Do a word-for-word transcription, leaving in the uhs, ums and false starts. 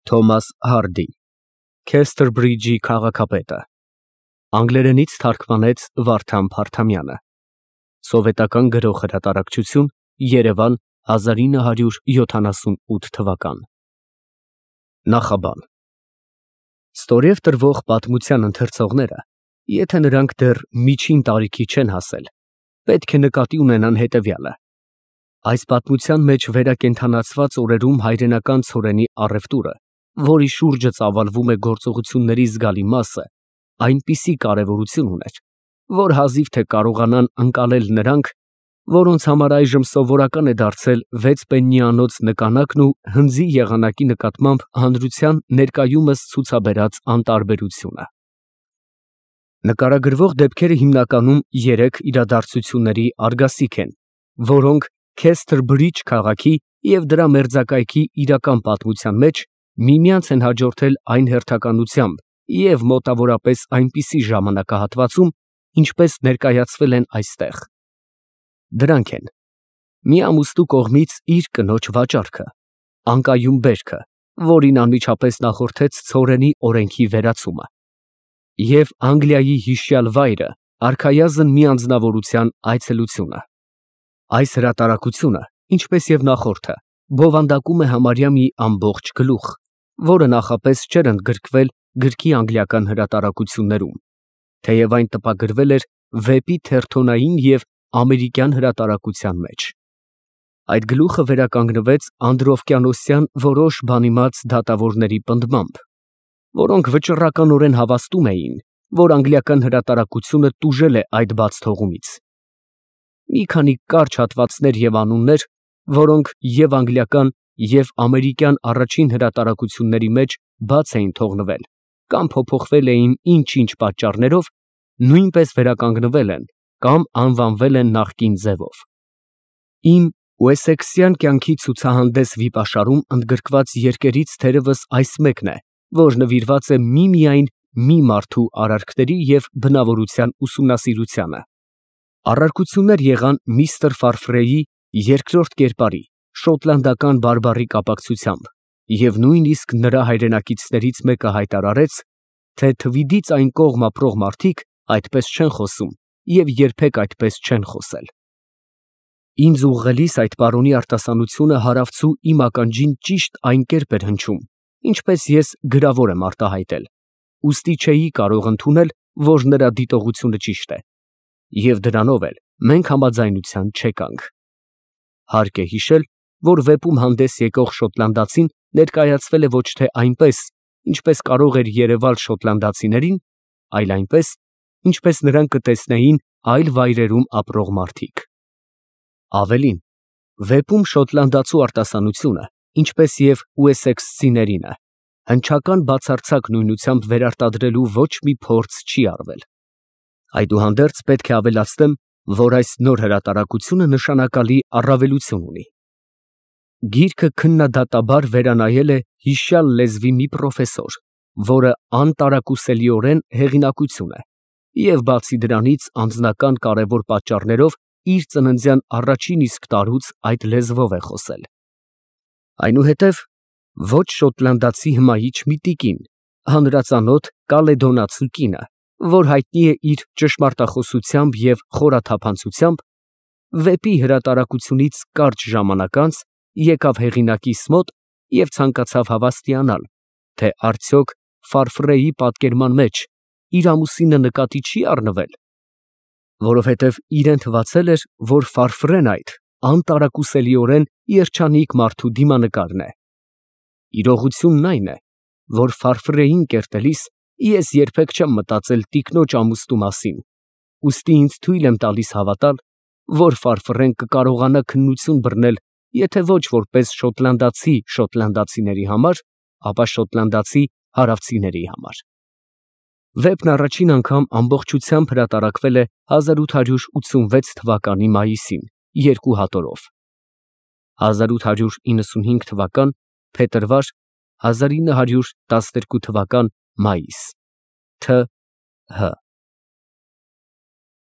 Թոմաս Հարդի Քեսթերբրիջի քաղաքապետը Անգլերենից թարգմանեց Վարդան Փարթամյանը Սովետական Գրող Հրատարակչություն Երևան հազար ինը հարյուր յոթանասունութ թվական Նախաբան Ստորև տրվող պատմության ընթերցողները, եթե նրանք դեռ միջին տարիքի չեն հասել, պետք է նկատի ունենան հետևյալը. այս պատմության մեջ վերակենդանացված օրերում հայրենական ցորենի առևտուրը, որի շուրջը ծավալվում է գործողությունների զգալի մասը, այնպիսի կարևորություն ուներ, որ հազիվ թե կարողանան ընկալել նրանք, որոնց համար այժմ սովորական է դարձել վեց պեննիանոց նկանակն ու հնձի եղանակի նկատմամբ հանրության ներկայումս ցուցաբերած անտարբերությունը։ Նկարագրվող դեպքերը հիմնականում երեք իրադարձությունների արգասիկ են, որոնք Քեսթերբրիջ քաղաքի և դրա մերձակայքի իրական պատմության մեջ միմյանց են հաջորդել այն հերթականությամբ և մոտավորապես այնպիսի ժամանակահատվածում, ինչպես ներկայացվել են այստեղ։ Դրանք են. մի ամուսնու կողմից իր կնոջ վաճառքը, անկայուն բերքը, որին անմիջապես նախորդեց ցորենի օրենքի վերացումը, և Անգլիայի հիշյալ վայրը, արքայազն մի անձնավորության այցելությունը։ Այս հրատարակությունը, ինչպես և նախորդը, բովանդակում է համարյա մի ամբողջ գլուխ, որը նախապես չէր ընդգրկվել գրքի անգլիական հրատարակություններում, թեև այն տպագրվել էր վեպի թերթոնային և ամերիկյան հրատարակության մեջ։ Այդ գլուխը վերականգնվեց անդրովկիանոսյան որոշ բանիմաց դատավորների պնդմամբ, որոնք վճռականորեն հավաստում էին, որ անգլիական հրատարակությունը տուժել է այդ բացթողումից։ Մի քանի կարճ հատվածներ և անուններ, որոնք և անգլիական, և ամերիկյան առաջին հրատարակությունների մեջ բաց էին թողնվել կամ փոփոխվել էին ինչ֊ինչ պատճառներով, նույնպես վերականգնվել են կամ անվանվել են նախկին ձևով։ Իմ ուեսեքսյան կյանքի ցուցահանդես վիպաշարում ընդգրկված երկերից թերևս այս մեկն է, որ նվիրված է միմիայն մի մարդու արարքների և բնավորության ուսումնասիրությանը։ Առարկություններ եղան միստր Ֆարֆրեի երկրորդ կերպարի, շոտլանդական բարբառի կապակցությամբ, և նույնիսկ նրա հայրենակիցներից մեկը հայտարարեց, թե թվիդից այն կողմ ապրող մարդիկ այդպես չեն խոսում և երբեք այդպես չեն խոսել։ Ինձ ուղղելիս այդ պարոնի արտասանությունը հարավցու իմ ականջին ճիշտ այն կերպ էր հնչում, ինչպես ես գրավոր եմ արտահայտել, ուստի չէի կարող ընդունել, որ նրա դիտողությունը ճիշտ է, և դրանով էլ մենք համաձայնության չեկանք։ Հարկ է հիշել, որ վեպում հանդես եկող շոտլանդացին ներկայացվել է ոչ թե այնպես, ինչպես կարող էր երևալ շոտլանդացիներին, այլ այնպես, ինչպես նրանք կտեսնեին այլ վայրերում ապրող մարդիկ։ Ավելին, վեպում շոտլանդացու արտասանությունը, ինչպես և ուեսեքսցիներինը, հնչական բացարձակ նույնությամբ վերարտադրելու ոչ մի փորձ չի արվել։ Այդուհանդերձ պետք է ավելացնեմ, որ այս նոր հրատարակությունը նշանակալի առավելություն ունի։ Գիրքը քննադատաբար վերանայել է հիշյալ լեզվի մի պրոֆեսոր, որը անտարակուսելիորեն հեղինակություն է, և բացի դրանից անձնական կարևոր պատճառներով իր ծննդյան առաջին իսկ տարուց այդ լեզվով է խոսել։ Այնուհետև ոչ շոտլանդացի հմայիչ մի տիկին, հանրածանոթ կալեդոնացու կինը, որ հայտնի է իր ճշմարտախոսությամբ և խորաթափանցությամբ, վեպի հրատարակությունից կարճ ժամանակ անց եկավ հեղինակիս մոտ և ցանկացավ հավաստիանալ, թե արդյոք Ֆարֆրեի պատկերման մեջ իր ամուսինը նկատի չի առնվել, որովհետև իրան թվացել էր, որ Ֆարֆրեն այդ անտարակուսելիորեն երջանիկ մարդու դիմանկարն է։ Իրողությունն այն է, որ Ֆարֆրեին կերտելիս ես երբեք չեմ մտածել տիկնոջ ամուսնու մասին, ուստի ինձ թույլ եմ տալիս հավատալ, որ Ֆարֆրեն կկարողանա քննություն բռնել եթե ոչ որպես շոտլանդացի շոտլանդացիների համար, ապա շոտլանդացի հարավցիների համար։ Վեպն առաջին անգամ ամբողջությամբ հրատարակվել է հազար ութ հարյուր ութսունվեց թվականի մայիսին երկու հատորով (հազար ութ հարյուր իննսունհինգ թվական փետրվար, հազար ինը հարյուր տասներկու թվական մայիս) թ. հ.